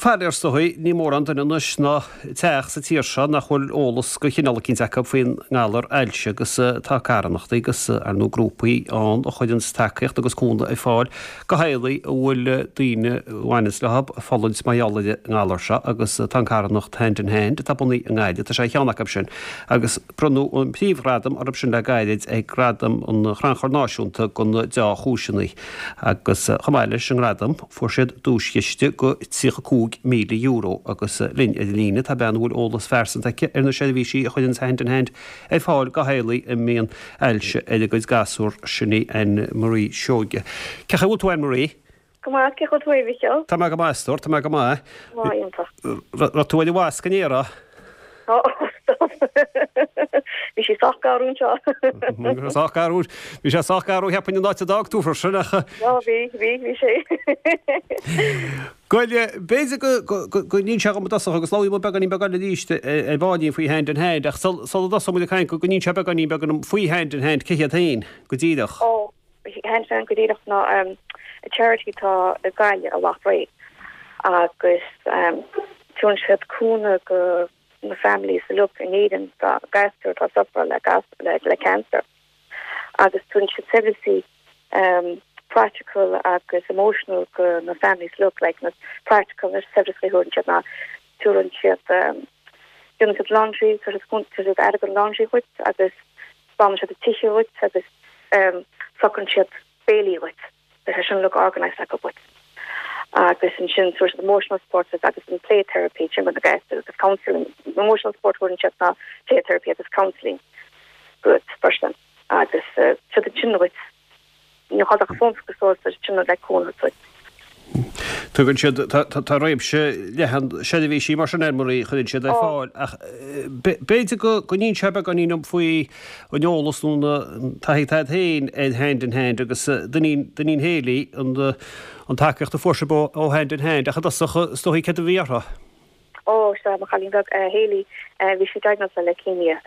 Faraor is dóigh, ní mórán duine anois ná teach sa tír seo nach bhfuil eolas de chineál eicínt acu faoin ngalar ailse agus tá carthanachtaí agus ar ndóigh grúpaí ann a chuireanns tacaíocht agus cúnamh ar fáil do theaghlaigh a bhfuil daoine a bhaineanns leo ag fulaingt mar gheall ar an ngalar seo agus tá an carthanacht Hand in Hand atá bunaithe i nGaillimh, tá sé ar cheann acu sin agus bronnadh an príomhghradam orthu sin le gairid ag Gradaim an Chrannchuir Náisiúnta do na Deá-Chúiseanna agus chomh maith leis an ngradam Fuair siad duaischiste de €35,000 agus linn ar an líne tá bean a bhfuil eolas phearsanta aici ar na seirbhísí a chuireanns Hand in Hand ar fáil do theaghlaigh a mbíonn ailse ar a gcuid gasúr, sin í Anne Marie Seoige. Cén chaoi a bhfuil tú Anne Marie? Go maith, cén chaoi a bhfuil tú a Mhichíl? Tá mé go maith, a stór, tá mé go maith. Maith, iontach. Raibh tú ar an bhasc inné, raibh? Ó, stop. Bhí sí sách garbh anseo. Sách garbh. Bhí sé sách garbh, cheapfainn, an áit a d'fhág tú freisin, ach. Ó, bhí, bhí, bhí sé. Bhuel, b'fhéidir go, go, go n-inseofá dhom i dtosach, agus labhróidh muid beagáinín beag eile arís ar baillín faoi Hand in Hand, ach sula dtosóidh muid ag caint, go n-inseofá beagáinín beag dom faoi Hand in Hand, cé hiad féin, go díreach. Ó, Hand in Hand go díreach ná charity atá i Gaillimh i Loughrea agus tugann siad cúnamh go na families uilig in Éirinn tá gasúir atá suffer le le le cancer agus tugann siad seirbhísí practical agus emotional go na families uilig like na practical na seirbhísí a thugann siad ná tugann siad déanann siad laundry tugann siad aire don laundry dhuit agus Glanann siad an tithe dhuit agus socraíonn siad béilí dhuit. Tá sé sin uilig organised acu dhuit. Agus ansin tabhair siad emotional support duit agus an play therapy sin do na gasúir agus counselling. Emotional support thugann siad ná play therapy agus counselling dhuit freisin. Agus siad ansin dhuit. Ní chaill ach fón agus suas ar sin le cúnamh duit. Tugann siad, tá réimse leathan seirbhísí mar sin Anne Marie a chuireann siad ar fáil ach b'fhéidir go n-inseofá beagáinín dom faoi an eolas nó an taithí atá agat féin ar Hand in Hand agus d'iníon Hayley an tacaíocht a fuair sibh ó Hand in Hand ach i dtosach is dóigh céard a bhí uirthi? Ó, sea, mo chailín beag, Hayley, bhí sí diagnosed le leukemia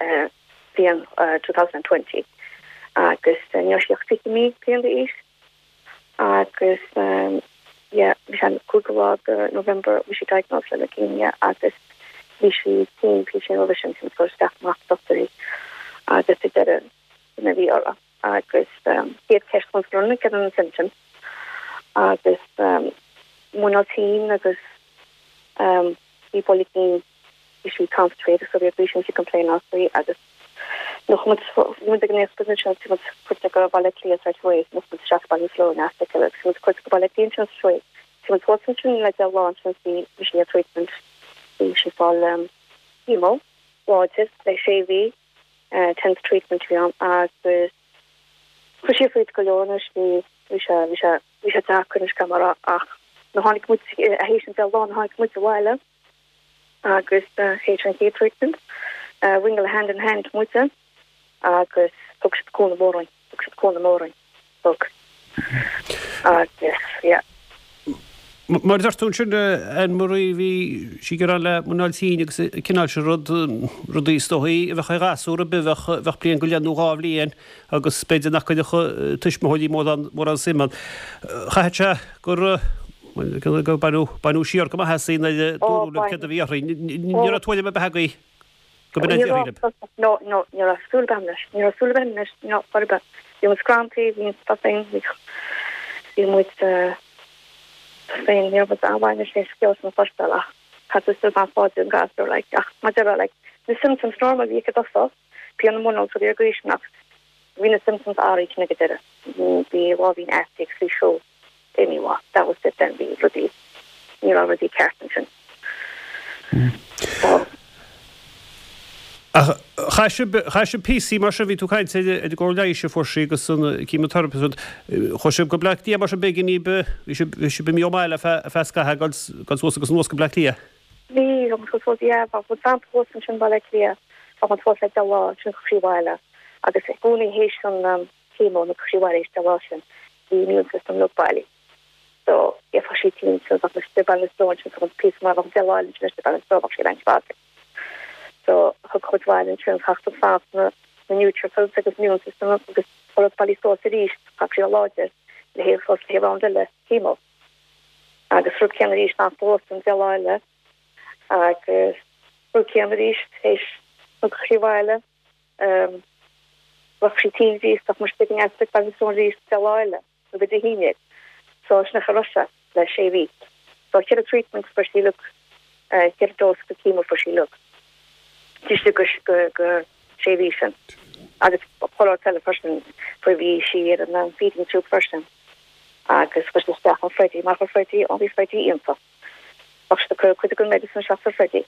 bliain 2020 agus ní raibh sí ach 20 mí bliain d'aois agus yeah bhí sé an 5ú lá de November bhí sí diagnosed le leukemia agus bhí sí tinn píosa roimhe sin sin cur isteach amach dochtúirí agus sa deireadh sin a bhí uirthi agus chéad ceist chun scoil céard na symptoms agus muineál tinn agus bhí buille cinn bhí sí constipated so bhí bhí sí complaineáil faoi agus nuair chuaigh muid bhí muid ag an aospid ansin bhí muid cuairte go Baile Átha Cliath straight away nuair chuaigh muid isteach Baile Sloan as agus bhí muid cuairte go Baile Átha Cliath ansin straight away bhí muid thuas ansin le deich lá ansin bhí bhí sí ar treatment bhí sí fáil chemo láidir le sé mhí tenth treatment bhí ann agus chuir sí fríd go leor anois bhí bhí sé bhí sé bhí sé deacair anois gan mar ach nuair tháinig muid théis an deich lá nuair tháinig muid abhaile agus théis an chéad treatment ringeáil Hand in Hand muide agus thug siad cúnamh mór dúinn, thug siad cúnamh mór dúinn, thug. Agus yeah. Mar a deir tú ansin, Anne Marie, bhí sí ag gearán le muineál tinn agus an cineál sin rud, rudaí is dóichí a bheadh ar ghasúr ar bith a bheadh, bheadh bliain go leith nó dhá bhliain agus b'fhéidir nach gcuirfeadh tuismitheoirí mórán, mórán suim ann. Chaithfeadh sé gur, gur baineadh, baineadh siar go maith as í nuair a dúradh libh céard a bhí uirthi. Ní raibh tuairim ar bith agaibh go b'in a déarfaí libh. No, no, ní raibh súil ar bith agam leis. Ní raibh súil ar bith agam leis, no, chor ar bith. Bhí muid scranntaí, bhí muid féin, bhí muid féin, ní raibh muid an-mhaith leis an scéal sin a chloisteáil ach caithfidh tú still fáilte an gasúr, like, ach mar a déarfá, like, na symptoms normal a bhí aici i dtosach, pian i muineál is rudaí ar gcaoi sin ach bhí na symptoms athraithe ag an deireadh. Bhí láimhín aisti agus bhí siúl imithe that was it then bhí rudaí ní raibh rudaí ceart ansin. So. Ach chaith sibh, chaith sibh píosaí mar sin, bhí tú ag caint ar an gcóir leighis a fuair sí agus an chemotherapy agus rud, chuaigh sibh go Bleá Cliath mar sin b'éigean daoibh, bhí sibh, bhí sibh imithe ón mbaile ar feadh, ar feadh scaithimh, ag dul, dul suas agus anuas go Bleá Cliath. Bhí, bhí muid suas, yeah, bhí muid fanta thuas ansin i mBaile Átha Cliath, bhí muid thuas le deich lá, ansin chuaigh sí abhaile agus i gcónaí théis an chemo nó chuaigh sí abhaile théis deich lá sin, bhí immune system uilig bailí. So, bheadh sí tinn, so bheadh muid istigh Ballinasloe ansin, so píosa maith, bheadh deich lá eile ansin istigh Ballinasloe, bheadh sí ar antibiotics. So, thug muid abhaile ansin, chaith tú fanacht na na neutrophils agus immune system agus rud bailí suas arís, chaith sí láidir le haghaidh suas le haghaidh round eile chemo. Agus rud céanna arís fanacht anuas an deich lá eile agus rud céanna arís théis an sí abhaile bheadh sí tinn arís bheadh muid ag an easpa agus arís deich lá eile nó go Dé hAoine. So sin an chaoi a raibh sé le sé mhí. So cheithre treatment fuair sí uilig, cheithre dose de chemo fuair sí uilig. Istigh go go sé mhí sin. Agus chuile shórt eile freisin, fuair bhí sí ar an feeding tube freisin. Agus chuir sí isteach an Freddie, mar chuir Freddie, ó bhí Freddie iontach. Bheadh siad ag cur cuid den medicine isteach sa Freddie.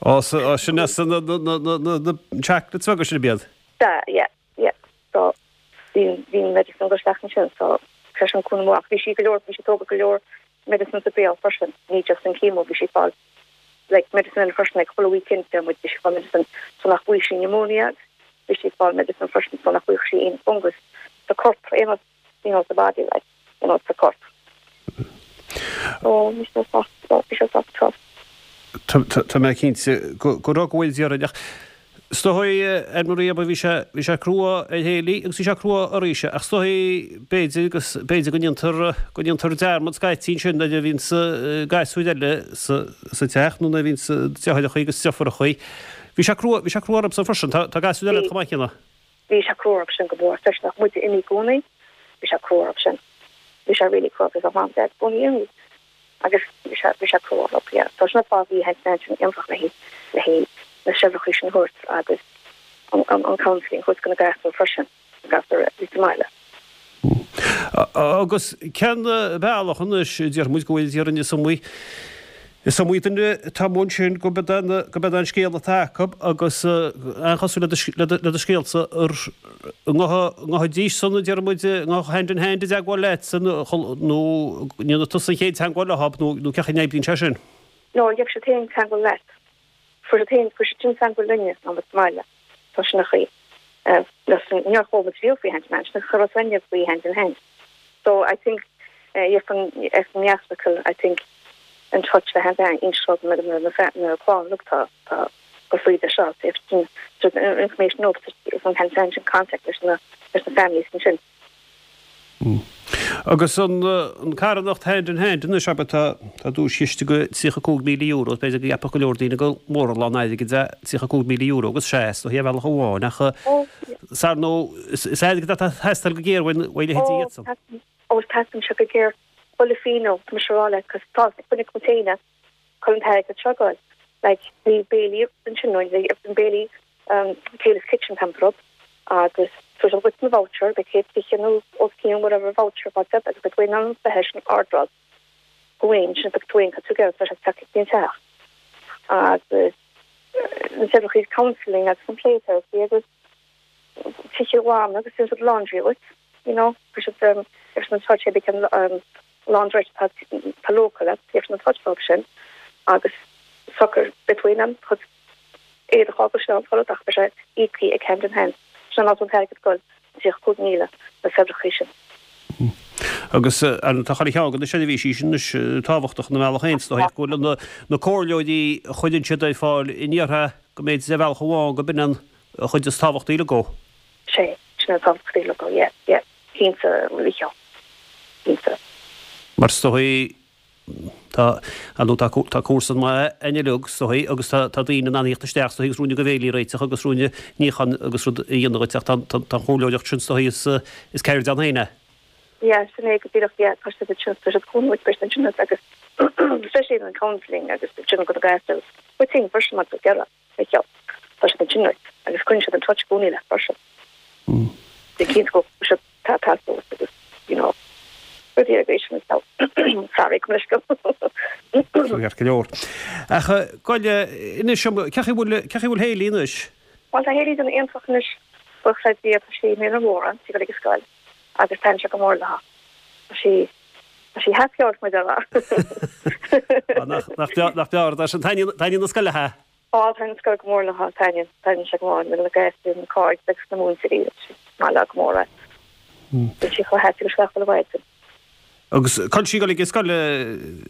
Ó, sin as na na na na chocolates beaga sin ab iad? Sea, yeah. Yeah so bhí bhí an medicine ag dul isteach ansin so sé sin cúnamh mór ach bhí sí go leor bhí sí ag tógáil go leor medicine sa béal freisin ní just an chemo bhí sí ag fáil like medicine eile freisin like chuile weekend deir muid bhí sí ag fáil medicine so nach bhfaigheadh sí pneumonia bhí sí ag fáil medicine freisin so nach bhfaigheadh sí aon fungus sa corp aon you know sa body like you know sa corp. So bhí sé sách bhí sé sách tough. Tá mé cinnte go raibh go bhfuil déarfainn ach is dóigh Ann Marie abair bhí sé bhí sé crua ar Hayley agus bhí sé crua oraibhse ach is dóigh b'fhéidir agus b'fhéidir go ndéantar go ndéantar dearmad scaití ansin nuair a bhíonns gasúir eile sa sa teach nó nuair a bhíonns deartháireachaí agus deirfiúrachaí. Bhí sé crua bhí sé crua orthu freisin. Tá tá gasúir eile chomh maith céanna. Bhí sé crua orthu sin go mór, freisin ach muide imithe i gcónaí, bhí sé crua orthu sin. Bhí sé really crua because mom, dad i gcónaí imithe agus bhí sé, bhí sé crua orthu, yeah. So sin an fáth bhí Hand in Hand sin iontach le haghaidh, le haghaidh na seirbhísí sin a thabhairt agus an, an, an counselling a thabhairt do na gasúir freisin, na gasúir a bhí sa mbaile. Agus cén bealach anois, déarfaidh muid go bhfuil déarfainn is iomaí, is iomaí duine atá amuigh ansin go b'é go b'é an scéal atá acu agus an-chosúil le do scéalsa ar an ngabhfaidís san, déarfaidh muid, an ngabhfadh Hand in Hand i dteagmháil leatsa nó ndéanfaidh tusa an chéad teagmháil leo nó cén chaoi a n-oibríonn sé sin? No, gheobhaidh siad féin teagmháil leat. Fuair siad féin, fuair siad sin teagmháil linne ná muid sa mbaile. So sin an chaoi. Níor chuala muid riamh faoi Hand in Hand, sin an chéad uair faoi Hand in Hand. So I think if an hospital I think in touch le Hand in Hand inseoidh na na clann look tá tá go faoi de seo if information no if an Hand in Hand in contact leis na leis na families ansin. Agus an carthanacht Hand in Hand anois, abair, tá duaischiste de €35,000, b'fhéidir go gceapfadh go leor daoine gur mór an lán airgid é €35,000 agus sea, is dóichí ar bhealach amháin, ach ar ndóigh, is airgead atá ag teastáil go géar uaidh leithéidí iadsan. Ó, teastaíonn sé go géar. Chuile phingin, tá mise a rá leat, cos tá coinne container. Cá bhfuil an t-airgead seo ag goil. Like bhí béilí ansin nó bhí an béilí um Kayla's Kitchen tá rud agus so siad duit na voucher beidh 120 nó os cionn whatever voucher faighte agat agus beidh tú in ann bheith sin ordráil go bhfuil sin beidh tú in tú go tá sé teacht go dtí an teach agus na seirbhísí counselling agus an play therapy agus tithe a ghlanadh agus déanann siad laundry dhuit you know chuir siad um ar an touch ag an um laundrette atá tá local leat gheobhaidh siad in touch leo sin agus socair beidh tú in ann do chuid éadach a fhágáil sin an toilet ach beidh sé íoctha ag Hand in Hand sin an áit a bhfuil an t-airgead ag goil 35,000 na saibhreachaí sin. Agus tá chuile cheann de na seirbhísí sin anois tábhachtach ina mbealach féin, is dóigh, go bhfuil na comhairleoirí a chuireann siad ar fáil in iartha go mb'fhéidir ar bhealach amháin go b'in an chuid is tábhachtaí uilig dhó. Sé, sin an tábhachtaí uilig dhó, yeah, yeah, cinnte, Mícheál, cinnte. Mar is dóigh, tá, ar ndóigh, tá, tá cúrsa maith againn uilig, is dóigh, agus tá, tá daoine in ann a thíocht isteach, is dóigh, agus ruainne de bhéilí a réiteach agus ruainne níocháin agus rud a dhéanamh dhuit ach tá, tá, tá an chomhairleoireacht sin, is dóigh, is, is ceird ann féin é. Yeah, sin é go díreach, yeah, tá siad ansin, tá siad cúnamh ag breis ansin agus especially an counselling agus sin go na gairtear, but sin freisin mar go gearra. Micheál. Tá siad ansin duit agus coinníonn siad in touch i gcónaí leat freisin. Bí cinnte go bhfuil siad tá tá agus you know rudaí ar bith sin is sorry gabh mo leithscéal. Ceart go leor. Ach gabh inis dom, cén chaoi bhfuil cén chaoi bhfuil Hayley anois? Bhuel tá Hayley ag déanamh iontach anois buíochas le Dia tá sí i mbliain a mhóra, tá sí ag dul ag an scoil agus taitníonn sé go mór léi. Tá sí tá sí happy out mar a déarfá. Nach nach breá é sin. Taitníonn an scoil léi? Á, taitníonn an scoil go mór léi, taitníonn, taitníonn sé go mór le na gasúir, na cairde agus na múinteoirí, is maith léi go mór é. Bíonn sí chomh happy agus gach uile mhaidin. Agus cá bhfuil sí ag dul ag an scoil,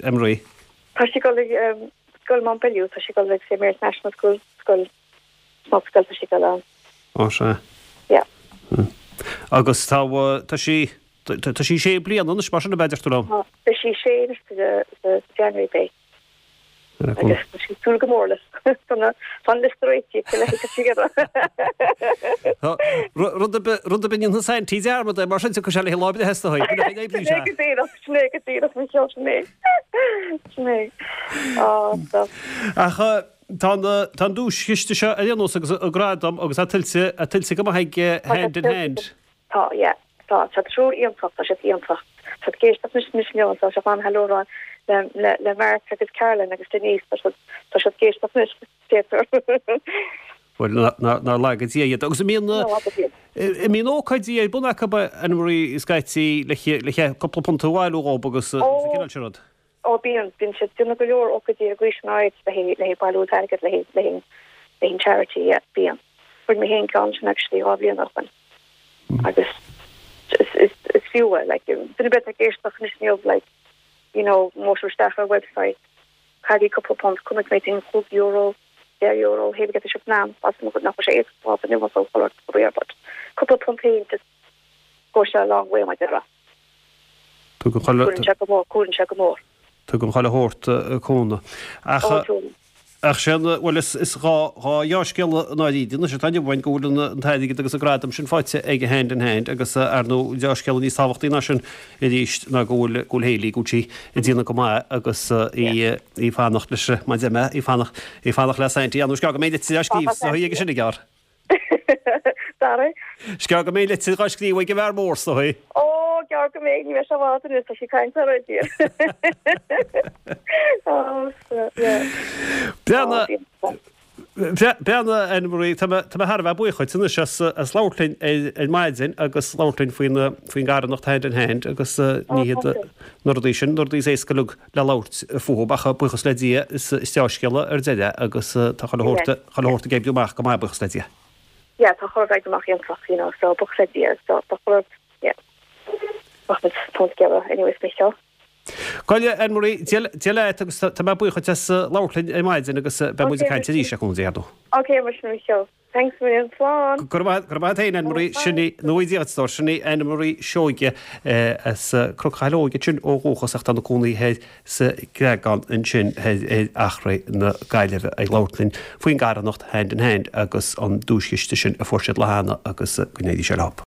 Ann Marie? Tá sí ag dul ag scoil Mountbellew, tá sí ag dul ag St Mary's National School, scoil, small scoil tá sí ag dul ann. Á, sea. Yeah. Agus tá, tá sí. Tá sí sé bliana anois mar sin ab ea, deir tú liom? Tá, beidh sí sé anois sa January beidh. Agus tá sí ag súil go mór leis. Tá an liosta réitithe aici le haghaidh a siar. Rud ar bith, rud ar bith a ndéanfaidh Saintí dearmad air mar sin tiocfaidh sé léi lá breithe is dóigh. Sin é go díreach, sin é go díreach, mo cheol, sin é. Sin é. Á, so. Ach tá an, tá an duaischiste seo ar aon nós agus an gradam agus tá tuillte, tuillte go maith ag Hand in Hand. Tá, yeah. Tá, tá triúr iontach, tá siad iontach. Tá siad ag éisteacht anois anois inniu, tá sé fan hello a rá le, le, le Mark agus Carolyn agus Denise, tá siad, tá siad ag éisteacht anois, deirtear. Bhuel, nár laga Dia iad. Agus an mbíonn, an mbíonn ócáidí ar bun acu, Anne-Marie, scaití le, le cúpla punt a bhailiú dhób agus, agus an cineál sin rud? Ó bíonn, bíonn siad ag déanamh go leor ócáidí ar ghaois an áit le haghaidh, le haghaidh bailiú airgid le haghaidh, le haghaidh, le haghaidh an charity, yeah, bíonn. Fuair mé féin ceann sin actually 2 bhliain ó shoin agus is, is, is fiú é, like, duine ar bith atá ag éisteacht anois inniu, like, you know, mósú isteach ar website, caithigí cúpla punt, chonaic mé féin €5, €10, hé get sibh in ann, as nach bhfuil sé éasca fáil inniu so but cúpla punt féin just goes a long way mar a déarfá. Tugann chuile. Cuireann sé go mór, cuireann sé go mór. Tugann chuile shórt cúnamh. Ach, ach sin, bhuel, is, is dá, dá dheá-scéala i ndáiríre anois atá inniu againn go bhfuil an, an t-airgead agus an gradam sin faighte ag Hand in Hand agus ar ndóigh deá-scéala níos tábhachtaí ná sin arís ná go bhfuil, go bhfuil Hayley, go bhfuil sí ag déanamh go maith agus í, í ag fanacht leis, mar a deir mé, í ag fanacht, í ag fanacht le Saintí. Ar ndóigh is gearr go mbeidh litir á scríobh is dóigh aige sin i gceart. Sorry. Is gearr go mbeidh litir dhá scríobh ag an bhfear mór is dóigh. Ó, gearr go mbeidh, ní bheidh sé i bhfad anois, tá sí ag caint already. Ó, so, yeah. Beanna, Beanna, Anne-Marie, tá mé thar a bheith buíoch dhuit anois as as labhairt linn ar ar maidin agus labhairt linn faoin faoin gcarthanacht Hand in Hand agus ní hiad na rudaí sin, na rudaí is éasca uilig le labhairt fúthu ach buíochas le Dia is dea-scéala ar deireadh agus tá chuile shórt chuile shórt ag oibriú amach go maith buíochas le Dia. Yeah tá chuile rud ag oibriú amach iontach you know so buíochas le Dia so tá chuile rud yeah rachaimid tá together anyways Micheál. Go Anne-Marie, Dia Dia leat agus tá mé buíoch dhuit as labhairt linn ar maidin agus beidh muid ag caint arís le cúnamh Dé ar ndóigh. Okay mar sin Micheál. Thanks a million. Slán. Go raibh maith agat féin, Anne-Marie. Sin í, go ngnóthaí Dia duit, a stór. Sin í Anne-Marie Seoige as Cnoc Chathail Óige ansin ó dhúchas ach tá ina cónaí thoir sa Chreagán ansin thoir ar Eachréidh na Gaillimhe ag labhairt linn faoin gcarthanacht Hand in Hand agus an duaischiste sin a fuair siad lá cheana agus go n-éirí sé leo.